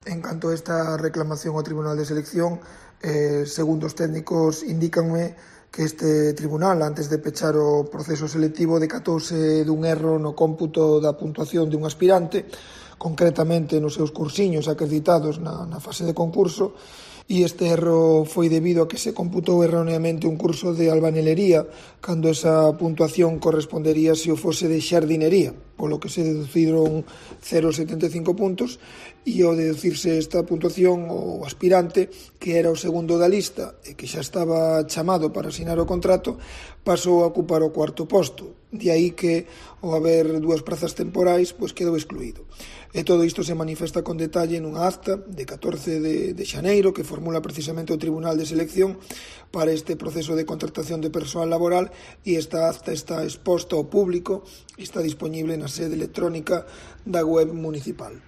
En canto a esta reclamación ao Tribunal de Selección, segundo os técnicos indícanme que este tribunal, antes de pechar o proceso selectivo, decatouse dun erro no cómputo da puntuación dun aspirante, concretamente nos seus cursiños acreditados na fase de concurso, e este erro foi debido a que se computou erróneamente un curso de albanelería, cando esa puntuación correspondería se o fose de xardinería, polo que se deduciron 0,75 puntos, e ao deducirse esta puntuación, o aspirante, que era o segundo da lista e que xa estaba chamado para asinar o contrato, pasou a ocupar o cuarto posto. De aí que, ao haber dúas prazas temporais, quedou excluído. E todo isto se manifesta con detalle nunha acta de 14 de xaneiro que formula precisamente o Tribunal de Selección para este proceso de contratación de persoal laboral, e esta acta está exposta ao público e está disponible na sede electrónica da web municipal.